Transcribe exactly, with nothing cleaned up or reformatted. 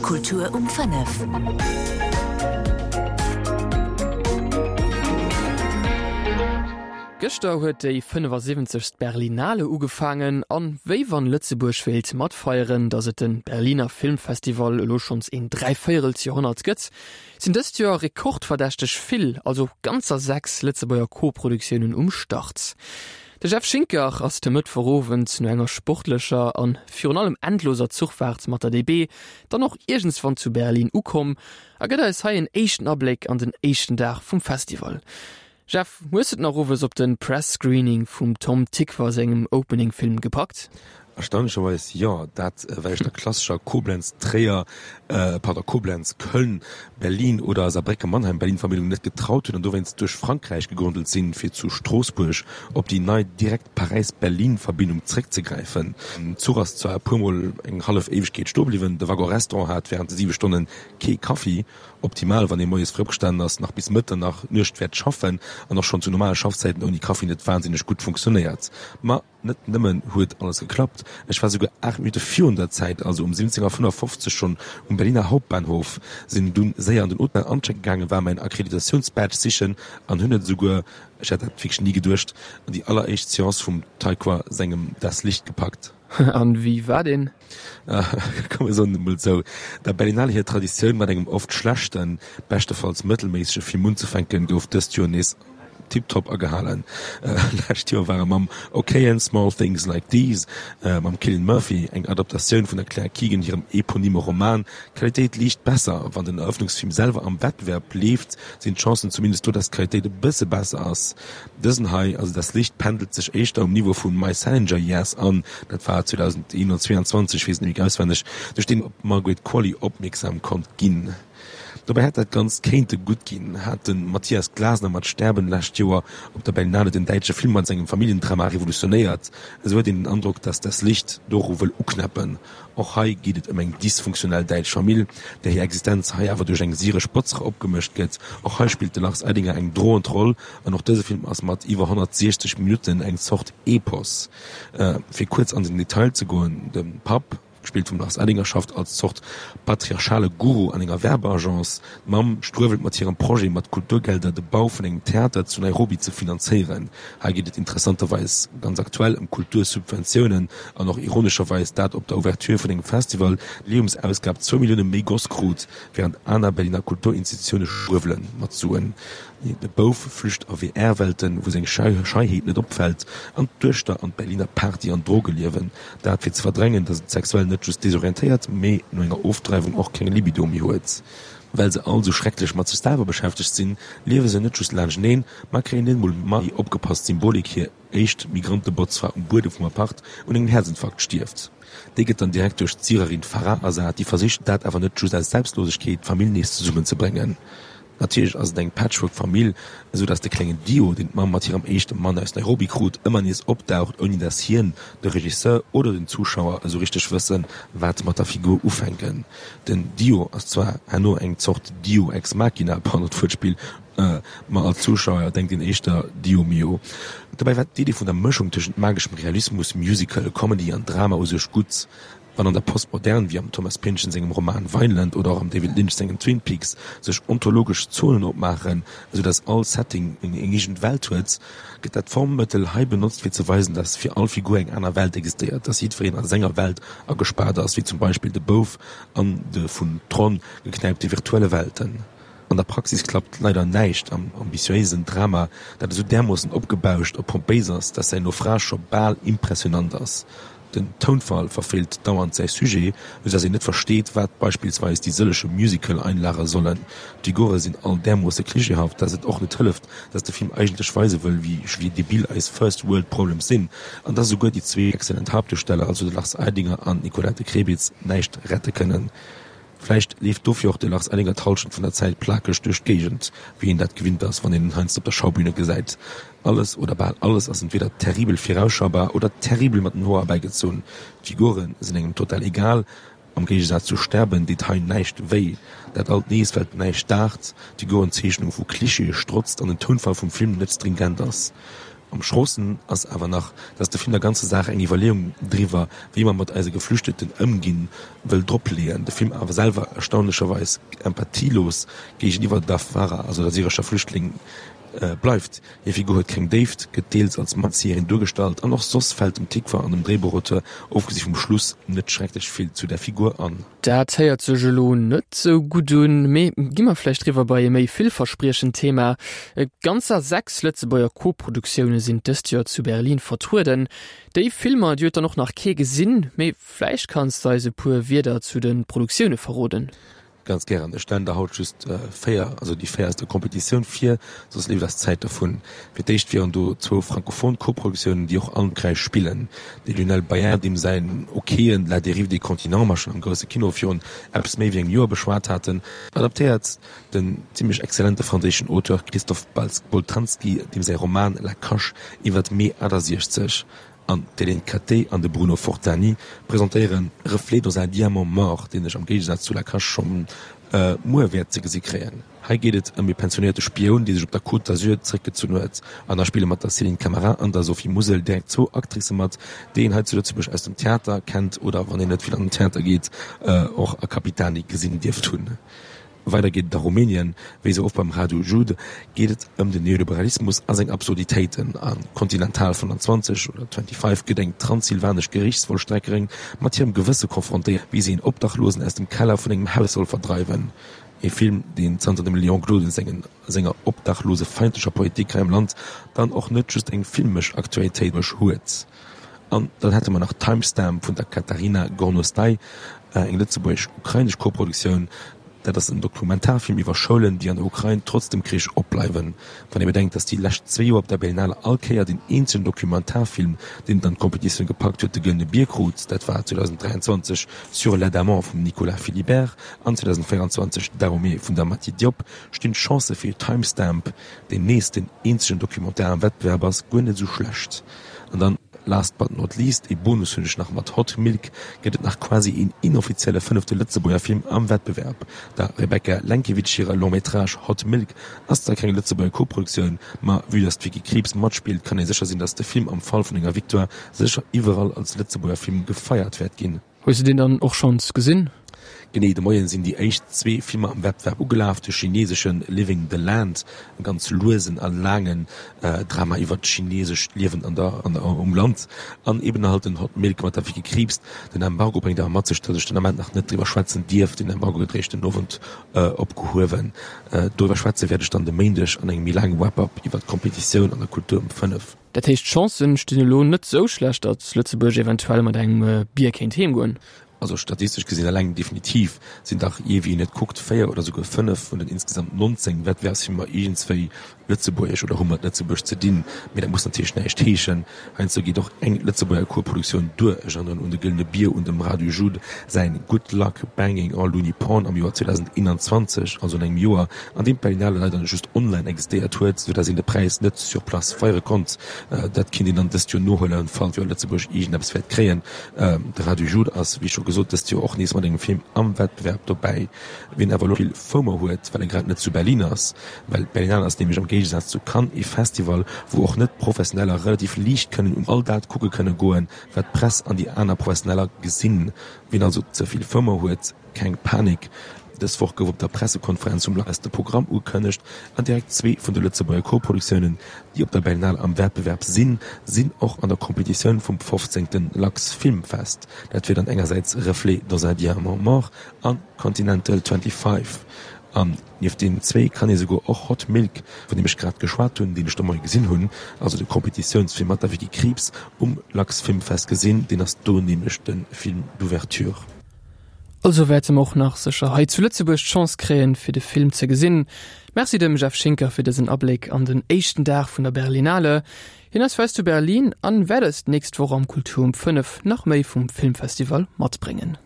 Kultur um fënnef. Gëschter huet déi fënnefasiwwenzegst Berlinale ugefaangen an wéi wann Lëtzebuerg wéilt matfeieren, datt et de Berliner Filmfestival elo schonns een Dräivéierelsjoerhonnert gëtt, sinn dëst Joer rekordverdächteg vill, also ganzer sechs Lëtzebuerger Koproduktiounen um Start. De Jeff Schinker ass de Mëttwochowend no enger sportlecher an virun allem endloser Zuchfaart mat der D B dann och iergendswann zu Berlin ukomm a gëtt eis hei en éischten Abléck an den éischten Dag vum Festival. Jeff, hues de et nach owes op de Press Screening vum Tom Tykwer sengem Opening-Film gepackt? Erstaunlecherweis jo, dat well ech der klassescher Koblenz-Tréier, pardon, Koblenz-Köln, Berlin oder Saarbrécken-Mannheim-Berlin-Verbindung net getraut hunn an dowéinst duerch Frankräich gegondelt sinn, fir zu Stroossbuerg op déi nei direkt Paräis-Berlin-Verbindung zeréckzegräifen. Den Zuch ass zwar e puer Mol eng hallef Éiwegkeet stoe bliwwen, de Waggon-Restaurant hat wärend de siwe Stonne kee Kaffi, optimal, wann ee moies fréi opgestanen ass, nach bis Mëtternacht Nuecht wäert schaffen an och schonn zu normale Schaffzäiten ouni Kaffi net wahnsinneg gutt funktionéiert. Ma net nëmmen huet alles geklappt, ech war souguer aacht Minutte virun der Zäit, also um siwwenzéng Auer fënnefafofzeg schonn um Berliner Hauptbahnhof, sinn dunn séier an den Hotel anchecke gaangen, war mäin Akkreditatiounsbadge sichen an hunn et esouguer, ech hätt dat wierklech ni geduecht, an déi alleréischt Seance vum Taykwa sengem Das Licht gepackt. An wéi war deen? Komm mir soen et emol esou, Der Berlinale hir Traditioun mat engem oft schlechten, beschtefalls mëttelméissege Film unzefänken, gouf dëst Joer nees tiptop agehalen. Lescht Joer ware mam okayen Small Things Like These mam Cillian Murphy, eng Adaptatioun vun der Claire Keegan hirem eponyme Roman, d'Qualitéit liicht besser. Wann den Erëffnungsfilm selwer am Wettbewerb leeft, sinn d'Chancen zumindest do, dass d'Qualitéit e bësse besser ass. Dësen hei, also Das Licht, pendelt sech éischter um Niveau vu My Salinger Years an, dat war zweedausendeenundzwanzeg, ech weess et net méi auswenneg, duerch deen op d'Margaret Qualley opmierksam konnt ginn. Dobäi hätt dat Ganzt kéinte gutt ginn, hat de Matthias Glasner mat Sterben lescht Joer op der Berlinale den däitsche Film mat sengem Familljendrama revolutionéiert. Esou huet een den Androck, datt Das Licht doru wëll uknäppen. Och hei geet et ëm eng dysfunktionell däitsch Famill, där hir Existenz hei awer duerch eng syresch Botzere opgemëscht gëtt. Och hei spillt de Lars Eidinger eng droend Roll an och dëse Film ass mat iwwer honnertsiechzeg Minutten eng Zort Epos. Fir kuerz an den Detail ze goen, de Papp, gespillt vum Lars Eidinger, schafft als Zort patriarchale Guru an enger Werbeagence. D'Mamm struewelt mat hirem Projet, mat Kulturgelder de Bau vun engem Theater zu Nairobi ze finanzéieren. Hei geet et interessanterweis ganz aktuell ëm Kultursubventiounen an och ironescherweis dat op der Ouverture vun engem Festival d'Jubiläumsausgab zwou Millioune méi goss krut, wärend aner Berliner Kulturinstitutioune struewele mat Suen. De Bouf flücht a V R-Welten, wou seng Scheiheet net opfält, an d'Duechter an d'Berliner Party an Drogeliewen, dat fir ze verdrängen, datt et sexuell net just desorientéiert, mee no enger Ofdreiwung och keng Libido méi huet. Well se all sou schrecklech mat sech selwer beschäftegt sinn, liewe se net just laanschteneen, ma kréien net emol méi opgepasst Symbolik, hir éischt Migrantebotzfra um Buedem vum Apart un engem Häerzinfarkt stierft. Déi gëtt dann direkt duerch d'Syrerin Farah ersat, déi versicht, dat awer net just aus Selbstlosegkeet, d'Famill nees zesummenzebréngen. Natierlech ass et eng Patchwork-Famill, esou dass de klengen Dio, deen d'Mamm mat hirem éischte Mann aus Nairobi krut, ëmmer nees opdaucht, ouni dass hien, de Regisseur oder den Zuschauer esou richteg wëssen, wat mat der Figur ufänken. Den Dio ass zwar herno eng Zort Dio ex machina, pardon d'Wuertspill, ma als Zuschauer denkt een éischter Dio mio. Dobäi war d'Idee vun der Mëschung tëschent mageschem Realismus, Musical, Comedy an Drama u sech gutt. Wann an der Postmodern, wéi am Thomas Pynchon sengem Roman Vineland oder och am David Lynch sengem Twin Peaks, sech ontologesch Zonen opmaachen, esou datt all Setting eng eegent Welt huet, gëtt dat Formmëttel hei benotzt fir ze weisen, datt fir all Figur eng aner Welt existéiert, datt jiddwereen a senger Welt agespaart ass, wéi zum Beispill de Bouf an de vun Tron geknäipte virtuelle Welten. An der Praxis klappt leider näischt am ambitiéisen Drama, dat esou därmoossen opgebauscht a pompéis ass, dass säin Naufrage scho bal impressionant ass. Den Tounfall verfeelt dauernd säi Sujet, esou dass een net versteet, wat beispillsweis déi sëlleche Musical-Einlage sollen. D'Figure sinn all därmoosse klischeehaft, dass et och net hëlleft, dass de Film eigentlech weise wëll, wéi debil eis First World Problems sinn, an dass esouguer déi zwee exzellent Haaptduersteller, also de Lars Eidinger an d'Nicolette Krebitz, näischt rette kënnen. Vläicht leeft dofir och de Lars Eidinger d'Hallschent vun der Zäit plakeg duerch d'Géigend, wéi een dat gewinnt ass, wann een en heiansdo op der Schaubühne gesäit. Alles oder bal alles ass entweder terribel virausschaubar oder terribel mat den Hoer erbäigezunn. D'Figure sinn engem total egal, am Géigesaz zu Sterben deet hei näischt wéi. Dat alt nees, well näischt daacht, d'Figurenzeechnung vu Klischeeë strotzt an den Tounfall vum Film net stringent ass. Am schroosten ass awer nach, dass de Film der ganzer Saach eng Iwwerleeung driwwer, wéi mer mat eise Geflüchteten ëmginn, wëll dropleeën. De Film awer selwer erstaunlecherweis empathielos géigeniwwer der Farah, also der syrescher Flüchtling, bleift. Hir Figur huet keng Déift, gëtt deels als Matzieherin duergestallt an och soss fält dem Tikva an dem Dréibuchauteur, ofgesi vum Schluss, net schrecklech vill zu der Figur an. Dat héiert sech elo net sou gutt un, mee gi mer vläicht riwwer bei e méi villverspriechend Thema. Ganzer sechs Lëtzebuerger Koproduktioune sinn dëst Joer zu Berlin vertrueden. Déi Filmer, déi huet dann och nach kee gesinn, mee vläicht kanns de eis e puer Wierder zu de Produktioune verroden? Ganz gären. Ech stellen der haut just véier, also déi véier aus der Competitioun vir, soss leeft eis d'Zäit dervun. Fir d'éischt wieren do zwou frankophon Koproduktiounen, déi och allen dräi spillen. De Lionel Bayer, deem säin okeeën La dérive des continents mer schonn am grousse Kino virun eppes méi wéi engem Joer beschwat haten, adaptéiert den zimmlech exzellente franséischen Auteur Christophe Boltanski, deem säi Roman La Cache iwwert Mee achtasiechzeg. An d'Hélène Cattet an de Bruno Fortani presentéieren Reflets dans un diamant mort, deen ech am Géigesaz zu La Cache scho muer wäert ze gesi kréien. Hei geet et ëm ee pensionéierte Spioun, dee sech op der Côte d'Azur zeréckgezunn huet. An da spille mat der Céline Camara an der Sophie Musel direkt zwou Actricë mat, déi een hei zu Lëtzebuerg aus dem Theater kennt oder, wann een net vill an den Theater geet, och a Capitani gesinn dierft hunn. Weider geet et a Rumänien. Wéi sou oft beim Radu Jude geet et ëm den Neoliberalismus a seng Absurditéiten. A Kontinental fënnanzwanzeg oder Twenty-Five gëtt eng transsylvanesch Gerichtsvollstreckerin mat hirem Gewësse konfrontéiert, wéi si een Obdachlosen aus dem Keller vun engem Haus soll verdreiwen. E Film, deen zanter dem Léon Gloden sengen senger obdachlosefeindlecher Politik hei am Land dann och net just eng filmesch Aktualitéit huet. An dann hätte mer nach Timestamp vun der Kateryna Gornostai, eng lëtzebuergesch-ukrainesch Koproduktioun. Dat ass en Dokumentarfilm iwwer Schoulen, déi an der Ukrain trotz dem Krich opbleiwen. Wann ee bedenkt, datt déi lescht zwee Joer op der Berlinale all Kéier deen eenzegen Dokumentarfilm, deen et an d'Kompetitioun gepackt huet, de Gëllene Bier krut, dat war zweedausenddräianzwanzeg Sur l'adamant vum Nicolas Philibert an zweedausenvéieranzwanzeg Dahomey vun der Mati Diop, stinn d'Chancë fir Timestamp, deen nees den eenzegen Documentaire am Wettbewerb ass, guer net esou schlecht. An dann, last but not least, ee Bonus hunn ech nach, Mat Hot Milk gëtt et nach quasi een inoffizielle fënnefte Lëtzebuerger Film am Wettbewerb. Der Rebecca Lenkiewicz hire Long métrage Hot Milk ass zwar keng Lëtzebuerger Koproduktioun, ma vue dass d'Vicky Krieps matspillt, kann ee sécher sinn, dass de Film am Fall vun enger Victoire sécher iwwerall als Lëtzebuerger Film gefeiert wäert ginn. Hues de deen dann och schonns gesinn? Genee de Moien sinn déi éischt zwee Filmer am Wettbewerb ugelaf, de chineesesche Living the Land, e ganz luesen a laangen Drama iwwer d'chineesescht Liewen an der um Land, an eben halt den Hot Milk mat der Vicky Krieps. Den Embargo bréngt awer mat sech, datt ech den Ament nach net driwwer schwätzen dierf. Den Embargo gëtt eréischt den Owend opgehuewen. Doriwwer schwätze wäert ech dann de Méindeg an engem méi laange Wrap-up iwwer d'Kompetitioun an der Kultur um fënnef. Dat heescht, d'Chancen stinn elo net sou schlecht, datt Lëtzebuerg eventuell mat engem Bier kéint heemgoen? Also statistesch gesinn eleng definitiv sinn dach, jee wéi een et kuckt, véier oder souguer fënnef vun den insgesamt nonzéng Wettbewerbsfilmer iergendswéi lëtzebuergesch oder hu mat Lëtzebuerg ze dinn. Mee dat muss natierlech näischt heeschen. Heiansdo geet och eng Lëtzebuerger Koproduktioun duer. Ech erënneren un de Gëllene Bier, un dem Radu Jude säin Good Luck Banging en Looney Porn am Joer zweedausendeenanzwanzeg, also an engem Joer, an deem d'Berlinale leider just online existéiert huet, sou dass een de Präis net sur place feiere konnt. Dat kinnt een dann dëst Joer nohuelen, falls jo Lëtzebuerg iergendeppes wäert kréien. De Radu Jude ass, wéi scho gesot, dëst Joer och nees mat engem Film am Wettbewerb dobäi. Wien awer elo vill FOMO huet, well e grad net zu Berlin ass, well d'Berlinale ass nämlech am Géigesaz zu Cannes ee Festival, wou och Net-Professioneller relativ liicht kënnen un all dat kucke kënne goen, wat d'Press an déi aner Professioneller gesinn. Wien also ze vill FOMO huet, keng Panik, dës Woch gouf op der Pressekonferenz vum LAS de Programm ugekënnegt an direkt zwee vun de Lëtzebuerger Koproduktiounen, déi op der Berlinale am Wettbewerb sinn, sinn och an der Kompetitioun vum fofzéngte Lux Film Fest. Dat wier dann engersäits Reflets dans un diamant mort a Continental twenty-five. An nieft deenen zwéi kann ee souguer och Hot Milk, vun deem ech grad geschwat hunn, deen ech de Moie gesinn hunn, also de Kompetitiounsfilm mat der Vicky Krieps, um Lux Film Fest gesinn. Deen ass do nämlech de Film d'ouverture. Also wäerte mer och nach sécher hei zu Lëtzebuerg d'Chance kréien, fir de Film ze gesinn. Merci dem Jeff Schinker fir dësen Abléck an den éischten Dag vun der Berlinale. Hien ass fir eis zu Berlin an wäert eis d'nächst Woch am Kultur um fënnef nach méi vum Filmfestival matbréngen.